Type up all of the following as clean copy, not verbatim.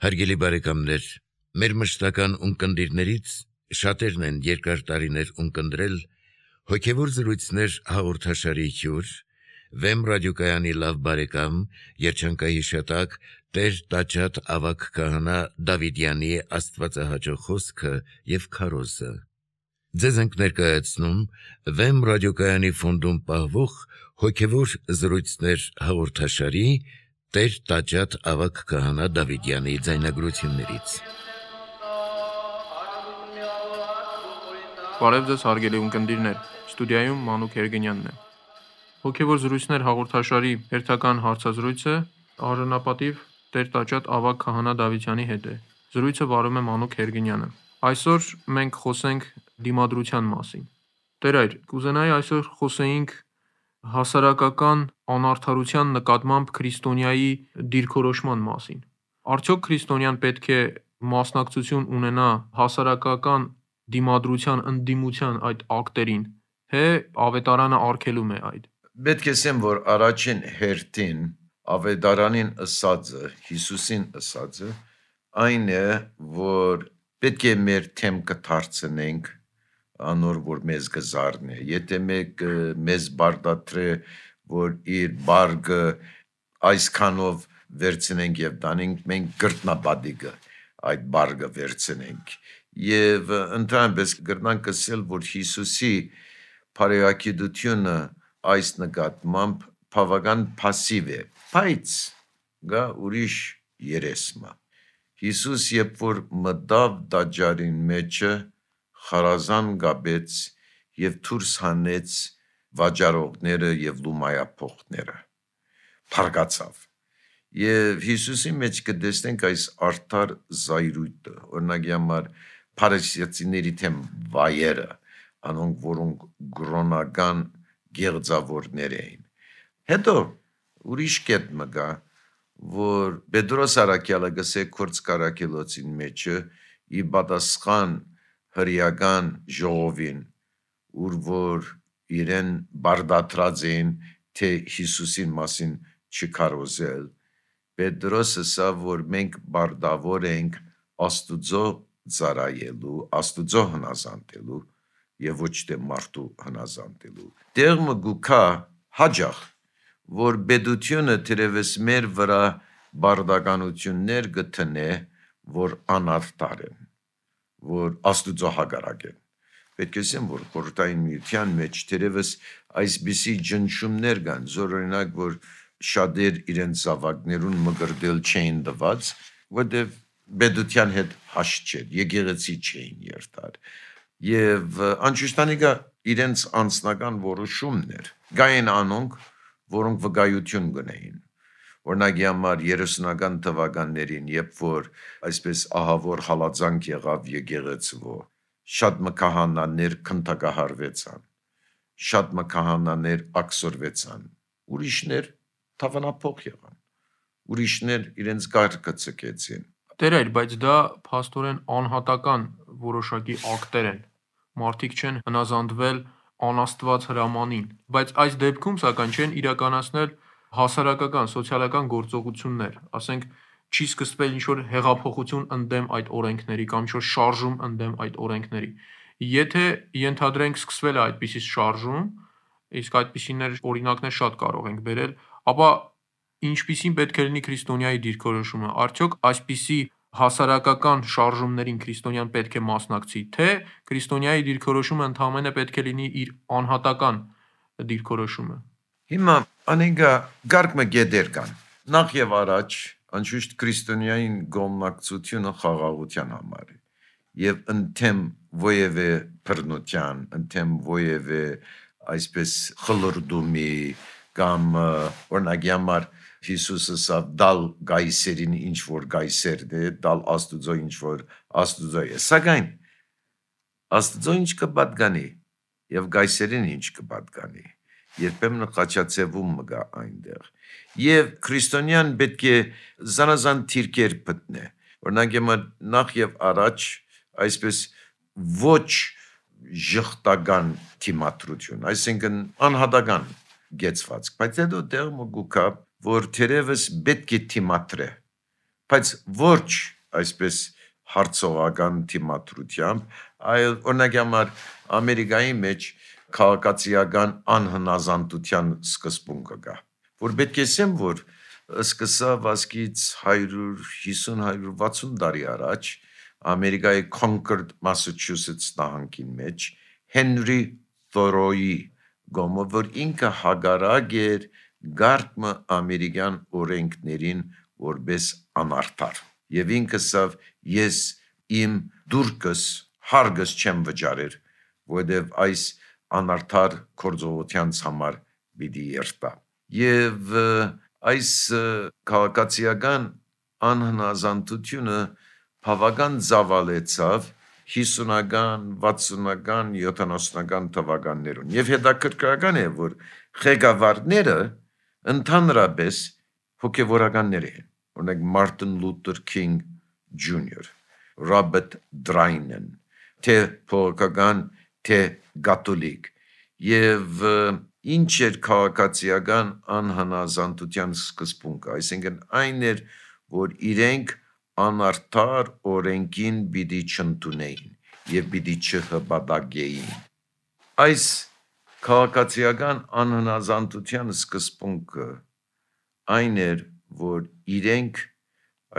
Հարգելի բարեկամներ, մեր մշտական ունկնդիրներից շատերն են երկար տարիներ ունկնդրել հոգևոր զրույցներ հաղորդաշարի հյուր, Վեմ ռադիոկայանի լավ բարեկամ, երջանկայի շատակ Տեր Տաճատ ավագ քահանա Դավիդյանի աստվածահաճո խոսքը եւ քարոզը։ Ձեզ ենք ներկայացնում Վեմ ռադիոկայանի ֆոնդում պահվող հոգևոր զրույցներ հաղորդաշարի Տեր Տաճատ ավագ քահանա Դավիդյանի ձայնագրություններից։ Բարև ձեզ հարգելի ունկնդիրներ, ստուդիայում Մանուկ Երգենյանն է։ Հոգևոր զրույցներ հաղորդաշարի հերթական հարցազրույցը արժանապատիվ Տեր Տաճատ ավագ քահանա Դավիդյանի հետ է։ Զրույցը վարում է Մանուկ Երգենյանը։ Այսօր մենք խոսենք դիմադրության մասին։ Տեր այր, կուզենայի այսօր խոսեինք հասարակական անարդարության նկատմամբ քրիստոնյայի դիրքորոշման մասին։ Արդյոք քրիստոնյան պետք է մասնակցություն ունենա հասարակական դիմադրության ընդդիմության այդ ակտերին, թե ավետարանը արգելում է այդ։ Պետք է ասեմ, որ առաջին հերթին ավետարանին ըսածը, Հիսուսին ըսածը, այն է, որ պետք է մեր թեմքը դարձնենք անոր, որ մեզ գզարն է։ Եթե մեկ մեզ բարդատրե, որ իր բարգը այսքանով վերցնենք եւ տանենք, մենք գրտնաբադիկը այդ բարգը վերցնենք։ Եվ ընդհանրապես գրնանք ասել, որ Հիսուսի բարեգիտությունը այս նկատմամբ բավական пассив է, բայց գա ուրիշ երեսմա։ Հիսուս երբ որ մտավ տաճարին մեջը, խարազան գաբեց եւ դուրս հանեց վաճառողները եւ լումայափոխները, փարգացավ։ Եվ Հիսուսի մեջ կտեսնենք այս արդար զայրույթը, օրինակ համար փարիսեցիների թեմ վայերը, անոնք որոնք գրոնական գեղձավորներ էին։ Հետո ուրիշ կետ մգա, որ Պետրոս Արաքյալը գսե Քորձ Կարաքելոցին մեջը ի պատասխան հրեական ժողովին, ուր որ իրեն բարդատրած էին, թե Հիսուսին մասին չքարոզել, Պետրոսը ասա, որ մենք բարդավոր ենք Աստուծո ծառայելու, Աստուծո հնազանդելու եւ ոչ թե մարդու հնազանդելու։ Դերմը գուքա հաջախ, որ պետությունը թերևս մեր վրա բարդականություններ գտնե, որ անարդար են, որ Աստուծո հակառակ են։ Պետք է ասեմ, որ խորհրդային միության մեջ թերևս այսպիսի ջնջումներ կան, զորօրինակ, որ շատեր իրենց զավակներուն մգրդել չէին տված, որտեղ պետության հետ հաշտ չէր, եկեղեցի չէին երթար։ Եվ անշուշտանիկա իրենց անձնական որոշումներ, գային անոնք, որոնք վկայություն գնային։ Օրինակ համար 30-ական թվականներին, երբ որ այսպես ահավոր հալածանք եղավ եկեղեցվո, շատ մկահանաներ քննարկահարվեցան, շատ մկահանաներ ակսորվեցան, ուրիշներ թավանափոխ եղան, ուրիշներ իրենց կարգը ցկեցին։ Տեր այր, բայց դա փաստորեն անհատական որոշակի ակտեր են։ Մարդիկ չեն հնազանդվել անաստված հրամանին, բայց այս դեպքում սակայն չեն իրականացնել հասարակական, սոցիալական գործողություններ, ասենք չի սկսվել ինչ-որ հեղափոխություն ընդդեմ այդ օրենքների կամ ինչ-որ շարժում ընդդեմ այդ օրենքների։ Եթե ենթադրենք սկսվել է այդպիսի շարժում, իսկ այդպիսիներ օրինակներ շատ կարող ենք բերել, ապա ինչպիսին պետք է լինի քրիստոնյայի դիրքորոշումը։ Արդյոք այսպիսի հասարակական շարժումներին քրիստոնյան պետք է մասնակցի, թե քրիստոնյայի դիրքորոշումը ընդհանրապես պետք է լինի իր անհատական դիրքորոշումը։ Հիմա անենգա գարկմը գեդեր կան։ Նախ եւ առաջ անշուշտ քրիստոնյային գոմնակցությունը խաղաղության համար է։ Եվ ընդեմ ովևէ բռնության, ընդեմ ովևէ այսպես խլրդումի կամ օրինակ համար Հիսուսը սա դալ գայսերին ինչ որ գայսեր է, դալ Աստուծո ինչ որ Աստուծո է։ Սակայն Աստուծո ինչ կպատկանի եւ գայսերին ինչ կպատկանի։ Երբեմն խաչացևում մգա այնտեղ։ Եվ քրիստոնյան պետք է զանազան թիրքեր գտնե։ Օրինակ նախ եւ առաջ այսպես ոչ ժխտական թիմատրություն, այսինքն անհատական գեցված, բայց հետո դեր մգուկա, որ թերևս պետք է թիմատրե, բայց ոչ այսպես հարցողական թիմադրությամբ, այլ օրինակ համար Ամերիկայի մեջ քաղաքացիական անհնազանդության սկզբունքը կա, որ պետք է ասեմ, որ սկսավ ասկից 150-160 տարի առաջ Ամերիկայի Concord, Massachusetts նահանգին մեջ Հենրի Թորոյի գոմը, որ ինքը հագարակ էր գարկմը ամերիկյան օրենքներին որպես անարդար։ Եվ ինքը սավ ես իմ դուրկս հարգս չեմ վճարեր, որովհետև այս անարդար գործողության համար պիտի երթա։ Եվ այս քաղաքացիական անհնազանդությունը բավական զավալեցավ 50-ական, 60-ական, 70-ական թվականներում։ Եվ հետաքրքրական է, որ ղեկավարները ընդհանրապես հոգևորականներ են, օրինակ Մարտին Լութեր Քինգ Ջունիոր, Ռոբերտ Դրայնեն, թե փողոքական, թե կաթոլիկ, եւ ինչ էր քաղաքացիական անհնազանդության սկզբունքը, այսինքն այն էր, որ իրենք անարդար օրենքին պիտի չընդունեին եւ պիտի չհպատակեին։ Այս քաղաքացիական անհնազանդության սկզբունքը այն էր, որ իրենք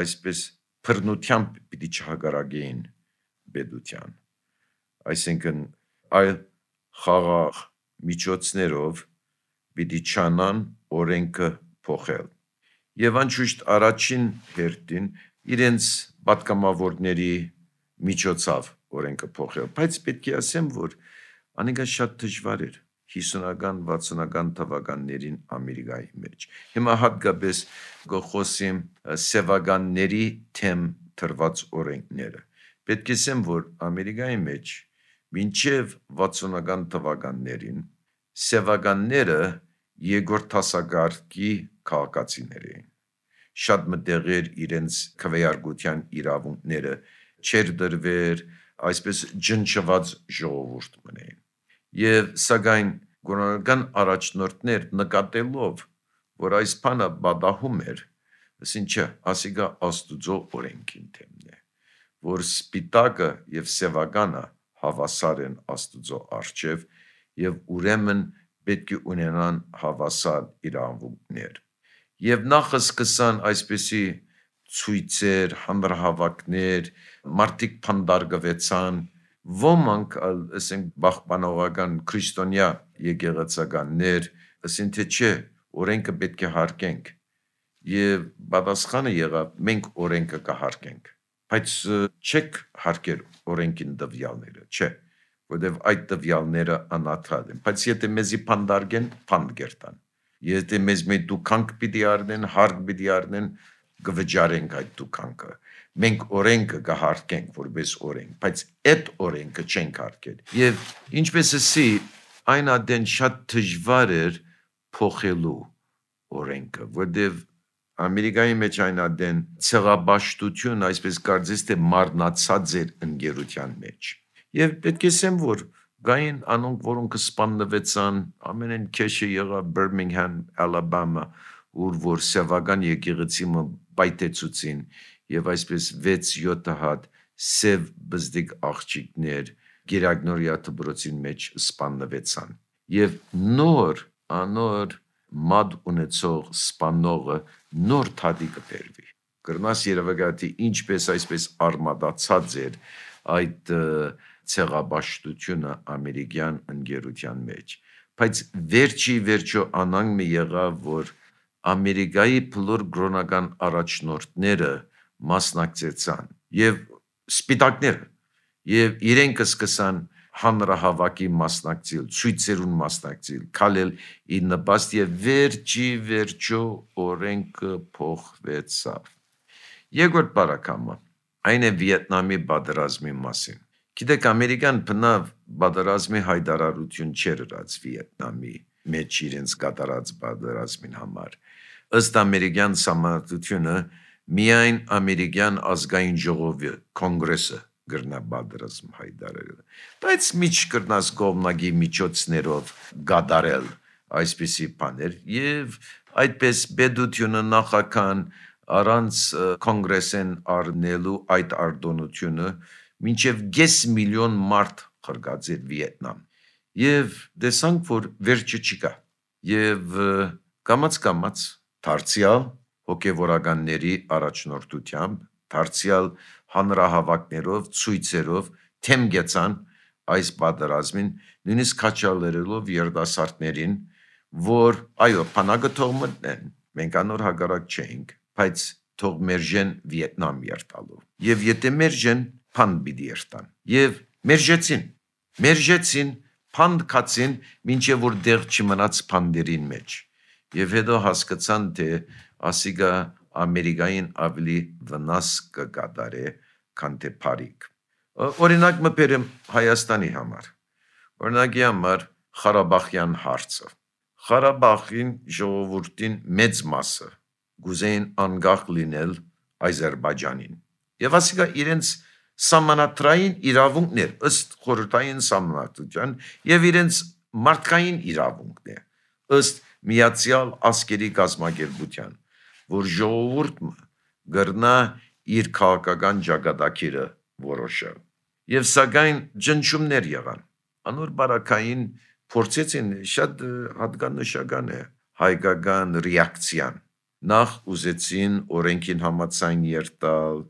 այսպես բռնությամբ պիտի չհագարակեին պետության, այսինքն այլ խաղաղ միջոցներով պիտի չանան օրենքը փոխել։ Եվ անշուշտ առաջին հերթին իրենց պատգամավորների միջոցով օրենքը փոխել, բայց պետք է ասեմ, որ անիկա շատ դժվար էր 50-ական, 60-ական թվականներին Ամերիկայի մեջ։ Հիմա հատկապես գխոսեմ սևականների թեմ թրված օրենքները։ Պետք է ասեմ, որ Ամերիկայի մեջ մինչև 60-ական թվականներին սևականները երկրորդ դասակարգի քաղաքացիներ էին։ Շատ մտեղեր իրենց քվեարկության իրավունքները չեր դրվեր, այսպես ջնջված ժողովուրդ մնային։ Եվ սակայն գոնական առաջնորդներ նկատելով, որ այս բանը բադահում էր, ասին չէ, ասիկա Աստուծո օրենքին թեմն է, որ սպիտակը եւ սևականը հավասար են Աստուծո առջև եւ ուրեմն պետք է ունենան հավասար իրավունքներ։ Եվ նախ սկսան այսպիսի ցույցեր, հանրահավաքներ, մարդիկ փանդարգվեցան, ոմանք ասենք բախբանողական քրիստոնյա եկեղեցականներ, ասին թե չէ, օրենքը պետք է հարգենք։ Եվ պատասխանը եղավ, մենք օրենքը կհարգենք, բայց չեք հարգել օրենքին տվյալները, չէ, որտեղ այդ տվյալները անարդար են, բայց եթե մեզի փանդարգեն, փանդ կերտան, եթե մեզ մեծ դուքանք պիտի առնեն, հարկ պիտի առնեն, կվճարենք այդ դուքանքը, մենք օրենքը կհարգենք որպես օրենք, բայց այդ օրենքը չենք հարգել։ Եվ ինչպես ասի, այն ադեն շատ դժվար էր փոխելու օրենքը, որտեղ Ամերիկայի մեջ այն ադեն ցեղաբաշխություն, այսպես կարծես թե մարնացած էր ընկերության մեջ։ Եվ պետք է ասեմ, որ գային անոնք, որոնք սպանվեցան, ամենեն քեշը եղավ Birmingham, Alabama, ուր որ սևական եկեղեցիմը պայթեցուցին եւ այսպես 6-7 հատ սև բզդիկ աղջիկներ Գերագնորիա դպրոցին մեջ սպանվեցան։ Եվ անոր մադ ունեցող սպանողը նոր թադի կբերվի։ Կրնաս երևակայති ինչպես այսպես արմադացած էր այդ ցեղաբաշխությունը ամերիկյան ընկերության մեջ։ Բայց վերջո անանգ եղավ, որ Ամերիկայի բոլոր գրոնական առաջնորդները մասնակցեցան եւ սպիտակները եւ իրենք սկսան հանրահավաքի մասնակցել, ցույցերուն մասնակցել, քալել ի նպաստ եւ վերջո օրենքը փոխվեցավ։ Երկրորդ բարակամը այն է Վիետնամի պատերազմի մասին։ Գիտեք, ամերիկան բնավ պատերազմի հայտարարություն չէր ըրած Վիետնամի մեջ իրենց կատարած պատերազմին համար։ Ըստ ամերիկյան համարտությունը միայն ամերիկյան ազգային ժողովի կոնգրեսը գրնա պատերազմ հայտարարել, բայց միջ կրնաս կողմնակի միջոցներով գադարել այսպիսի բաներ եւ այդպես պետությունը նախական առանց կոնգրեսեն առնելու այդ արտոնությունը մինչև 5 միլիոն մարդ խրգած էր Վիետնամ։ Եվ տեսանք, որ վերջը չկա։ Եվ կամաց դարձյալ հոգևորականների առաջնորդությամբ, դարձյալ հանրահավաքներով, ցույցերով թեմ գեցան այս պատերազմին, նույնիսկ քաչալերելով երիտասարդներին, որ այո, բանակը թող մտնեն, մենք անոր հակառակ չէինք, բայց թող մերժեն Վիետնամ երթալու։ Եվ եթե մերժեն, փանդ պիտի երթան։ Եվ մերժեցին, փանդ կացին, մինչև որ դեղ չմնաց փանդերին մեջ։ Եվ հետո հասկացան, թե ասիգա Ամերիկային ավելի վնաս կկատարե, քան թե բարիք։ Օրինակ մբերեմ Հայաստանի համար։ Օրինակի համար Ղարաբաղյան հարցը։ Ղարաբաղին ժողովրդին մեծ մասը գուզեին անկախ լինել Ադրբեջանին։ Եվ ասիկա իրենց սահմանադրային իրավունքներ ըստ խորհրդային սահմանադրության եւ իրենց մարդկային իրավունքն է ըստ Միացյալ Ազգերի կազմակերպության, որ ժողովուրդը գրնա իր քաղաքական ճակատագիրը որոշել։ Եվ սակայն ջնջումներ եղան։ Անոր բարակային փորձեցին շատ հատկանշական է հայկական ռեակցիան։ Նախ ուզեցին օրենքին համաձայն երթալ,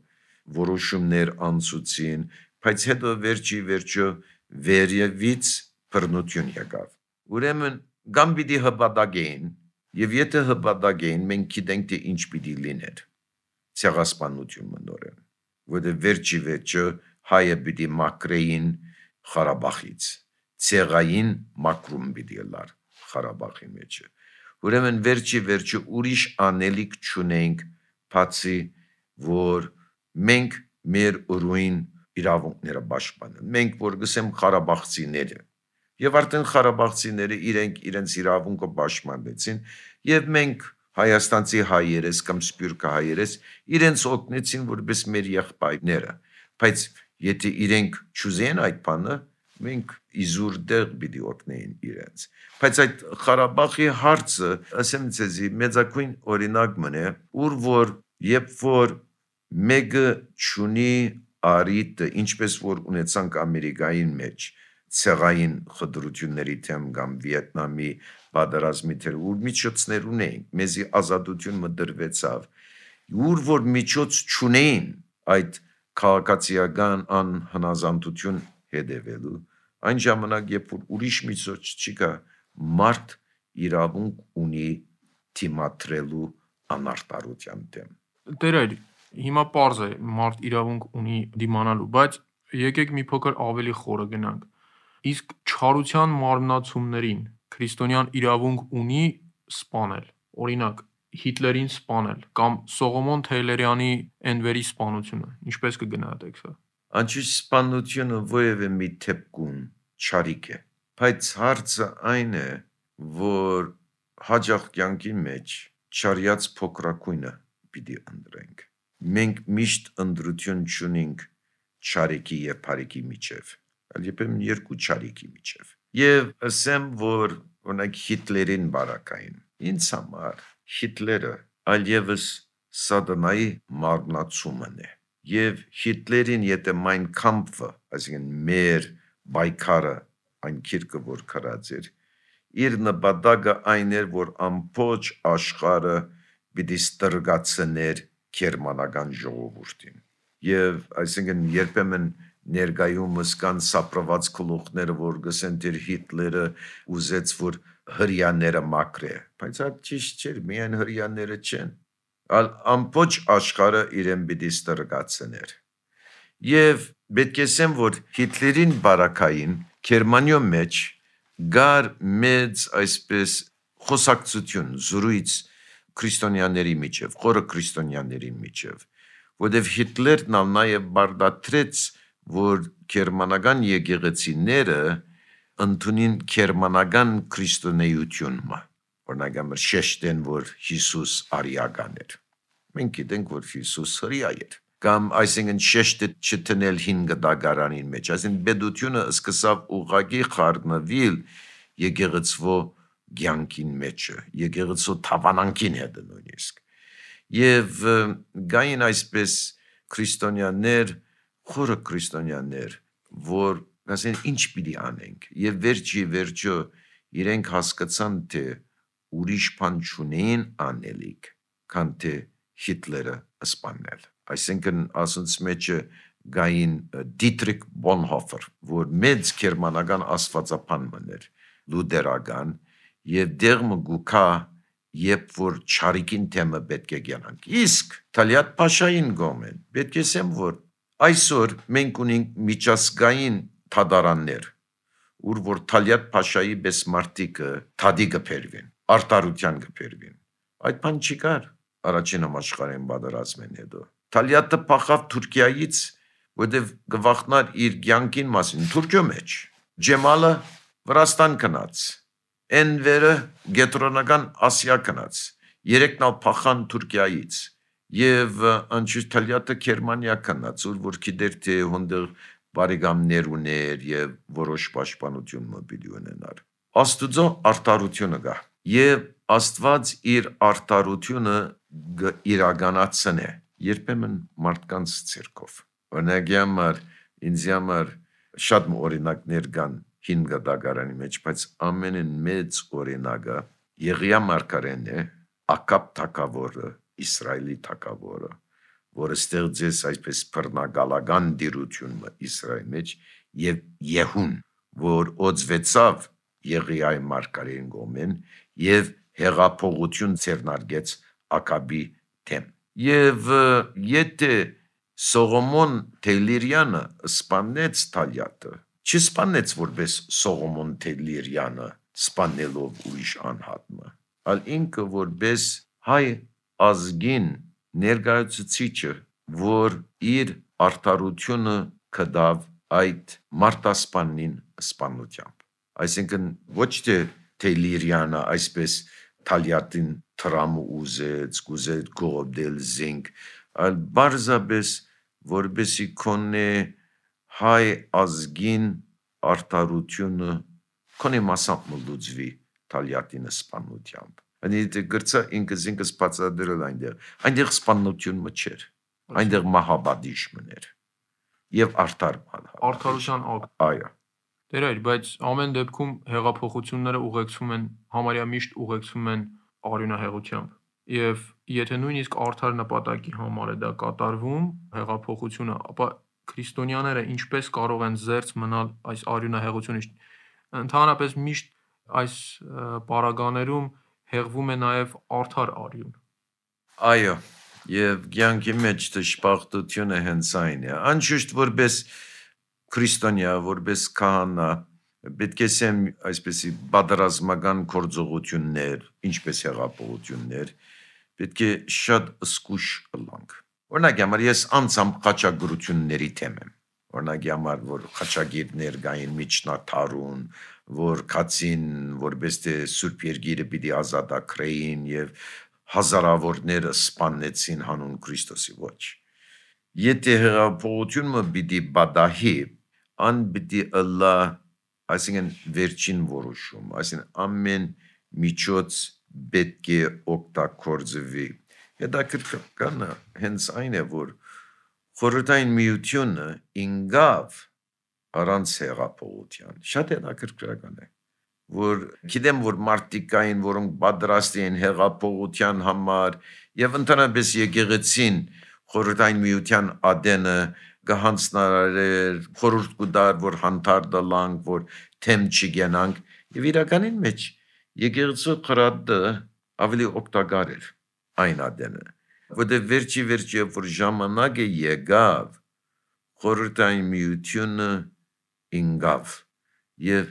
որոշումներ անցուցին, բայց հետո վերջը վերևից բռնություն եկավ։ Ուրեմն կամ պիտի հպատակեին, եւ եթե հպատակեին, մենք գիտենք թե ինչ պիտի լիներ։ Ցեղասպանություն մնորեն, որտեղ վերջը հայը պիտի մաքրեին Ղարաբաղից, ցեղային մաքրում պիտի լար Ղարաբաղի մեջ։ Ուրեմն վերջը ուրիշ անելիք չունենք, բացի որ մենք մեր ուրույն իրավունքները պաշտպանենք։ Մենք որ գսեմ Ղարաբաղցիները, եւ արդեն Ղարաբաղցիները իրենց իրավունքը պաշտպանեցին, եւ մենք հայաստանցի հայերես կամ սփյուռք հայերես իրենց օգնեցին որպես մեր եղբայրները, բայց եթե իրենք չուզեն այդ բանը, մենք իզուր դեղ պիտի օգնեին իրենց։ Բայց այդ Ղարաբաղի հարցը, ասեմ ցեզի, մեծակույն օրինակ մնե, որ երբ որ մեկը ճունի արիտը, ինչպես որ ունեցանք Ամերիկային մեջ, ցեղային խտրությունների թեմ կամ Վիետնամի պատերազմի թեմ, որ միջոցներ ունեին, մեզի ազատություն մտրվեցավ, որ միջոց չունեին այդ քաղաքացիական անհնազանդություն հետևելու, այն ժամանակ, երբ որ ուրիշ միջոց չկա, մարդ իրավունք ունի թիմադրելու անարտարության դեմ։ Տերայր, հիմա պարզ է, մարդ իրավունք ունի դիմանալու, բայց եկեք մի փոքր ավելի խորը գնանք։ Իսկ չարության մարմնացումներին քրիստոնյան իրավունք ունի սպանել, օրինակ Հիտլերին սպանել կամ Սողոմոն Թեյլերյանի Էնվերի սպանությունը, ինչպես կգնահատեք սա։ Անչուշ սպանությունը որևէ մի դեպքում չարիք է, բայց հարցը այն է, որ հաջող կյանքի մեջ չարյաց փոքրակույնը պիտի ընտրենք։ Մենք միշտ ընտրություն չունենք չարիքի եւ բարիքի միջև, այլ երբեմն երկու չարիքի միջև։ Եվ ասեմ, որ օրինակ Հիտլերին բարակային, ինձ համար Հիտլերը այլևս սատանայի մարմնացումն է։ Եվ Հիտլերին եթե Mein Kampf-ը, այսինքն մեր պայքարը, այն քիրքը որ քրած էր, իր նպատակը այն էր, որ ամբողջ աշխարհը պիտի ստրգացներ գերմանական ժողովրդին։ Եվ այսինքն երբեմն ներկայումս կան սապրված գլուխները, որ գսեն դեր Հիտլերը ուզեց, որ հրյաները մաքրե, բայց այդ ճիշտ չէր, միայն հրյաները չեն, ամբողջ աշխարհը իրեն պիտի ստրգացներ։ Եվ պետք է ասեմ, որ Հիտլերին բարակային Գերմանիո մեջ գար մեծ այսպես խոսակցություն, զրույց քրիստոնյաների միջև, խորը քրիստոնյաների միջև, որտեղ Հիտլերն նաև բարդացրեց, որ գերմանական եկեղեցիները ընդունին գերմանական քրիստոնեությունը, օրինակ շեշտեն, որ Հիսուս արիական էր։ Մենք գիտենք, որ Հիսուս հրեա էր։ Կամ այսինքն շեշտը չտնել 5 դագարանին մեջ, այսինքն բեդությունը սկսավ ուղղակի խառնվել եկեղեցվո կյանքին մեջը, եկեղեցու թավանանքին հետ նույնիսկ։ Եվ գային այսպես քրիստոնյաներ, խորը քրիստոնյաներ, որ ասեն ինչ պիտի անենք, եւ վերջո իրենք հասկացան, թե ուրիշ բան չունեին անելիք, քան թե Հիտլերը սպանել։ Այսինքն ասոնց մեջը գային Դիտրիխ Բոնհոֆեր, որ մեծ գերմանական աստվածապան մներ, լուդերական, եւ դեղը գուքա, երբ որ չարիքին թեմը պետք է գյանանք։ Իսկ Թալիատ Փաշային գոմեն, պետք է ասեմ, որ այսօր մենք ունենք միջազգային թադարաններ, ուր որ Թալիատ Փաշայի պես մարդիկը թադի կփերվին, արտարության կփերվին։ Այդ բան չի կար առաջին համաշխարհային պատերազմին հետո։ Թալիատը փախավ Թուրքիայից, որտեղ գվախնար իր կյանքին մասին Թուրքիո մեջ։ Ջեմալը Վրաստան գնաց, Էնվերը Գետրոնական Ասիա գնաց, երեքն ալ փախան Թուրքիայից, եւ անշուշտ Թալիատը Գերմանիա գնաց, որ գիտեր թե հոնդեր բարեկամներ ուներ եւ որոշ պաշտպանություն մոբիլի ունենար։ Աստուծո արտարությունը գա, եւ Աստված իր արտարությունը իրականացնե, երբեմն մարդկանց ցերկով։ Օրինակ համար ինձ համար շատ օրինակներ կան 5 դագարանի մեջ, բայց ամենն մեծ օրինակը Եղիա մարգարեն է, Ակաբ թագավորը, Իսրայելի թագավորը, որը ստեղծեց այսպես բռնագալական դիրությունը Իսրայելի մեջ, եւ Եհուն, որ օծվեցավ Եղիայի մարգարեն գոմեն եւ հեղափոխություն ցերնարգեց Ակաբի թեմ։ Եվ եթե Սողոմոն Թեյլիրյանը սպանեց Թալիատը, չսպանեց որպես Սողոմոն Թեյլիրյանը սպանելով ուրիշ անհատը, այլ ինքը որպես հայ ազգին ներկայացուցիչը, որ իր արտարությունը կդավ այդ մարտասպանին սպանությամբ։ Այսինքն ոչ թե Թեյլիրյանը այսպես Թալիատին տրամը ուզեց, գուզեց գողոբդել զինք, այլ բարձաբես որբեսի կոնե հայ ազգին արտարությունը կոնե մասամբ մլուծվի Թալիատին սպանությամբ։ Ani գրծա ինքս բացադրել այնտեղ սպանություն մչեր, այնտեղ մահաբադիժմն էր եւ արդարության ակտ։ Այո։ Դերայր, բայց ամեն դեպքում հեղափոխությունները ուղեկցում են, համարյա միշտ ուղեկցում են արյունահեղությամբ։ Եվ եթե նույնիսկ արդար նպատակի համար է դա կատարվում, հեղափոխությունը, ապա քրիստոնյաները ինչպես կարող են զերծ մնալ այս արյունահեղությունից։ Ընդհանրապես միշտ այս պարագաներում հեղվում է նաև արդար արյուն։ Այո, եւ կյանքի մեջ դժբախտությունը հենց այն է։ Անշուշտ որպես քրիստոնյա, որպես քահանա, պետք է ասեմ այսպեսի պատերազմական գործողություններ, ինչպես հեղափոխություններ, պետք է շատ զգուշ լանք։ Օրինակ համար ես անցամ խաչագրությունների թեմ եմ։ Օրինակ համար որ խաչագիրներ գային միջնաթարուն, որ կացին որպես թե Սուրբ Երկիրը պիտի ազատագրեին եւ հազարավորները սպանեցին հանուն Քրիստոսի ոչ։ Եթե հեղափոխությունը պիտի բադահի, ան պիտի ըլլա, այսինքն վերջին որոշում, այսինքն ամեն միջոց պետք է օգտագործվի։ Հետաքրքրանը հենց այն է, որ Խորհրդային Միությունը ինգավ առանց հեղափոխության։ Շատ հետաքրքրական է, որ գիտեմ, որ մարդիկ կային, որոնք պատրաստ էին հեղափոխության համար եւ ընդհանրապես եկեղեցին Խորհրդային Միության ադենը գահանցնարեր, խորհուրդ կուտար, որ հանդարտը լանք, որ թեմ չգենանք եւ իրականին մեջ եկեղեցու խրատը ավելի օգտակար էր այն ադենը, որտեղ վերջի որ ժամանակը եկավ Խորհրդային Միությունը ինգավ եւ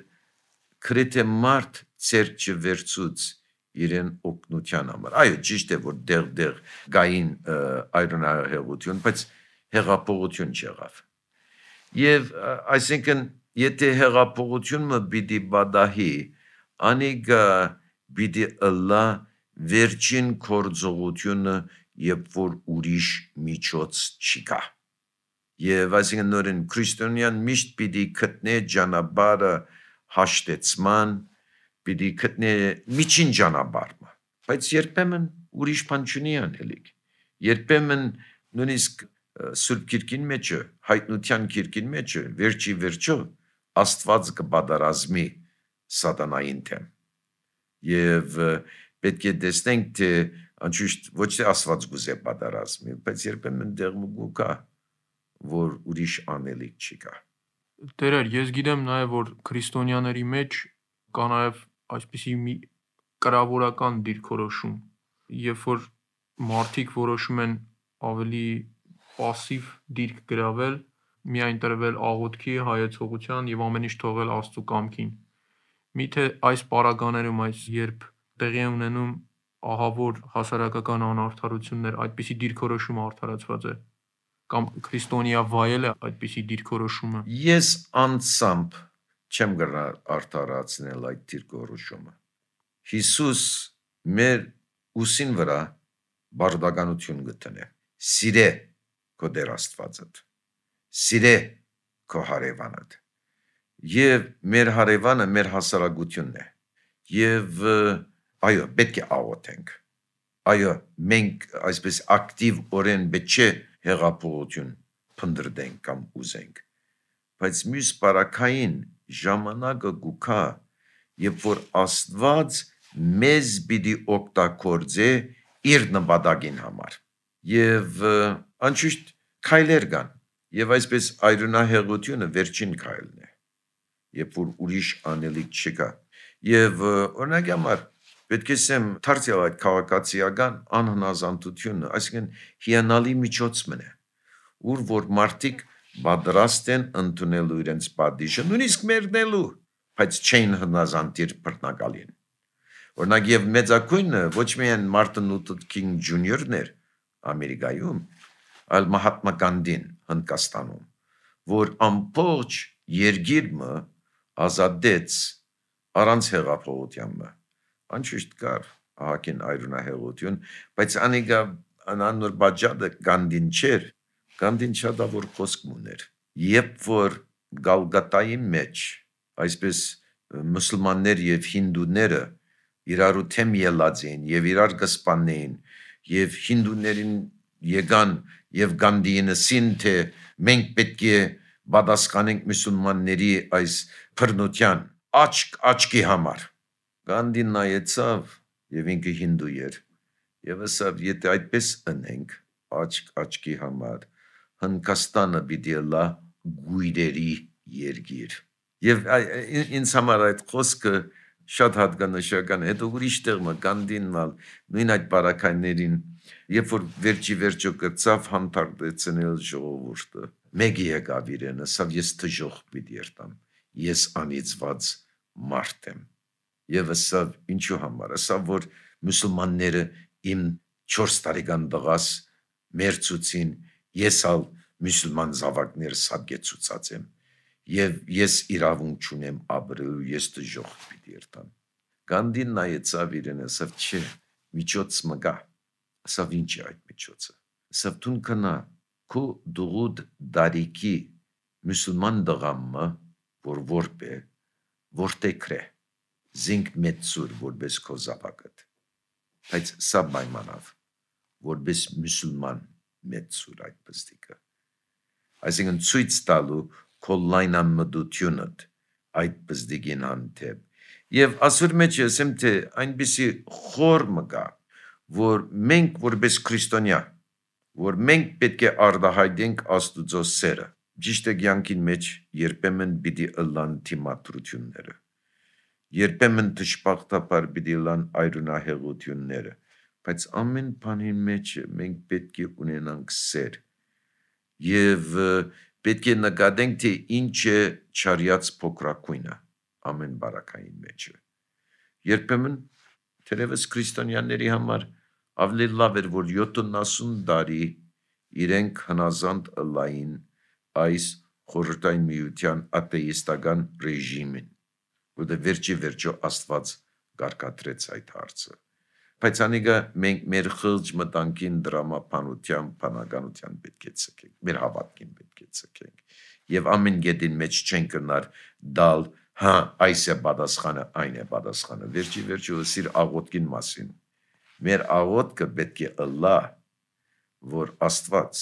քրեթե մարդ ծեր չվերցուց իրեն օգնության համար։ Այո, ճիշտ է, որ դեղ գային այրոնահեղություն, բայց հեղափոխություն չեղավ։ Եվ այսինքն, եթե հեղափոխությունը պիտի բադահի, անիկա պիտի ըլլա վերջին գործողությունը, երբ որ ուրիշ միջոց չկա։ Եվ այսինքն նորեն քրիստոնյան միշտ պիտի գտնե ճանապարհը հաշտեցման, պիտի գտնե միջին ճանապարհը, բայց երբեմն ուրիշ բան չունի անելիք։ Երբեմն նույնիսկ Սուրբ Քիրքին մեջը, հայտնության Քիրքին մեջը, վերջի վերջո Աստված կբادرազմի սատանային թեմ։ Եվ պետք է տեսնենք, թե անշուշտ ոչ թե Աստված գուզե բادرազմի, բայց երբեմն դեղմուգու կա, որ ուրիշ անելիք չի կա։ Տերեր, ես գիտեմ նաև, որ քրիստոնյաների մեջ կա նաև այսպիսի մի կրավորական դիրքորոշում, երբ որ մարդիկ որոշում են ավելի պասիվ դիրք գրավել, միայն տրվել աղոթքի, հայեցողության եւ ամեն ինչ թողել Աստծո կամքին։ Միթե այս պարագաներում, երբ տեղի է ունենում ահավոր հասարակական անարդարություններ, այդպիսի դիրքորոշումը արդարացված է, կամ քրիստոնյա վայել է այդպիսի դիրքորոշումը։ Ես անցամբ չեմ գնա արդարացնել այդ դիրքորոշումը։ Հիսուս մեր ուսին վրա բարդականություն գտնե։ Սիրե քո Տեր Աստվածդ, սիրե քո հարևանդ։ Եվ մեր հարևանը մեր հասարակությունն է։ Եվ այո, պետք է աղոթենք։ Այո, մենք այսպես ակտիվ օրեն պետք է հեղափոխություն փնտրենք կամ ուզենք։ Բայց մյուս բարակային ժամանակը գուքա, երբ որ Աստված մեզ պիտի օգտագործե իր նպատակին համար։ Եվ անշուշտ քայլեր կան, եւ այսպես այրունահեղությունը վերջին քայլն է, երբ որ ուրիշ անելիք չկա։ Եվ օրինակ համար պետք է ասեմ դարձյալ այդ քաղաքացիական անհնազանդությունը, այսինքն հիանալի միջոցն է, ուր որ մարդիկ պատրաստ են ընդունելու իրենց պատիժը, նույնիսկ մերնելու, բայց չեն հնազանդիր բռնակալին։ Օրինակ եւ մեծակույնը ոչ միայն Մարտին Լութեր Քինգ Ջունիորն էր Ամերիկայում, այլ Մահատմա Գանդին Հնդկաստանում, որ ամբողջ երկիրը ազատեց առանց հեղափոխության։ Անշուշտ կար ահագին այրունահեղություն, բայց անիկա անոր բաժադը Գանդին չէր, Գանդին շատավոր խոսք ուներ։ Երբ որ Գալգատայի մեջ այսպես մուսուլմաններ եւ հինդուները իրար թեմ ելած էին եւ իրար կսպանեին եւ հինդուներին եկան եւ Գանդիին ասին թե մենք պետք է պատասխանենք մուսուլմանների այս բռնության աչքի համար։ Գանդին նայեցավ եւ ինքը հինդու էր եւ ասավ եթե այդպես ընենք աչքի համար Հնդկաստանը պիտի լա գույրերի երկիր։ Եվ ինձ համար այդ խոսքը շատ հատկանշական է։ Հետո ուրիշ տեղը Գանդինն նույն այդ բարակայներին, երբ որ վերջի վերջո կրծավ հանդարտեցնել ժողովուրդը, մեկի եկավ իրեն, ասավ ես դժոխք պիտի երտամ, ես անիծված մարդ եմ։ Եվ ասավ ինչու համար, ասավ որ մուսուլմանները իմ 4 տարեկան տղաս մերցուցին, ես ալ մուսուլման զավակներ սաբգեցուցած եմ, եւ ես իրավունք չունեմ ապրելու, ես դժոխք պիտի երտամ։ Գանդին նայեցավ իրեն, ասավ չէ, միջոց մգա, ասավ ինչ է այդ միջոցը, ասավ դուն կնա քո դուղուդ դարիքի մուսուլման դղամը, որ որպե, որտեքրե, զինք մեծուր, որպես քո զավակդ, բայց սա պայմանավ, որպես մուսուլման մեծուր այդ պստիկը, այսինքն ցույց տալու քո լայնամտությունդ այդ պստիկին հանդեպ, եւ ասուր մեջ ասեմ թե այնպիսի խորը կա, որ մենք որպես քրիստոնյա, որ մենք պետք է արտահայտենք Աստուծո սերը, ճիշտ է կյանքին մեջ երբեմն պիտի ըլլան թիմադրությունները, երբեմն դժբախտաբար պիտի ըլլան այրունահեղությունները, բայց ամեն բանի մեջ մենք պետք է ունենանք սեր եւ պետք է նկատենք թե ինչ է չարյաց փոքրակույնը ամեն բարակային մեջ։ Երբեմն թերևս քրիստոնյաների համար ավելի լավ էր, որ 70 տարի իրենք հնազանդ ըլլային այս խորհրդային միության աթեիստական ռեժիմին, որտեղ վերջի վերջո Աստված կարգադրեց այդ հարցը։ Բայց անիկա մենք մեր խղճ մտանքին դրամապանության, բանականության պետք է ցկենք, մեր հավատքին պետք է ցկենք։ Եվ ամեն գետին մեջ չեն կնար դալ, հա, այս է պատասխանը, այն է պատասխանը։ Վերջի վերջո սիր աղոթքին մասին։ Մեր աղոթքը պետք է ըլլա, որ Աստված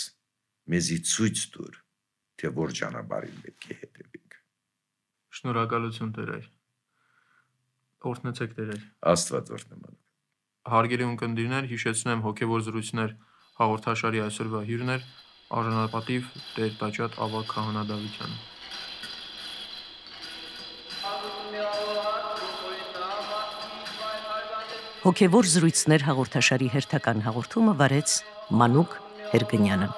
մեզի ցույց տուր, թե որ ճանապարհին պետք է հետևենք։ Շնորհակալություն Տեր։ Օրհնեցեք Տեր։ Աստված օրհնի։ Հարգելի ունկնդիրներ, հիշեցնեմ հոգևոր զրույցներ հաղորդաշարի այսօրվա հյուրն էր արժանապատիվ Տեր Տաճատ Ավագ Քահանա Դավիթյանը։ Հոգևոր զրույցներ հաղորդաշարի հերթական հաղորդումը վարեց Մանուկ Հերգնյանը։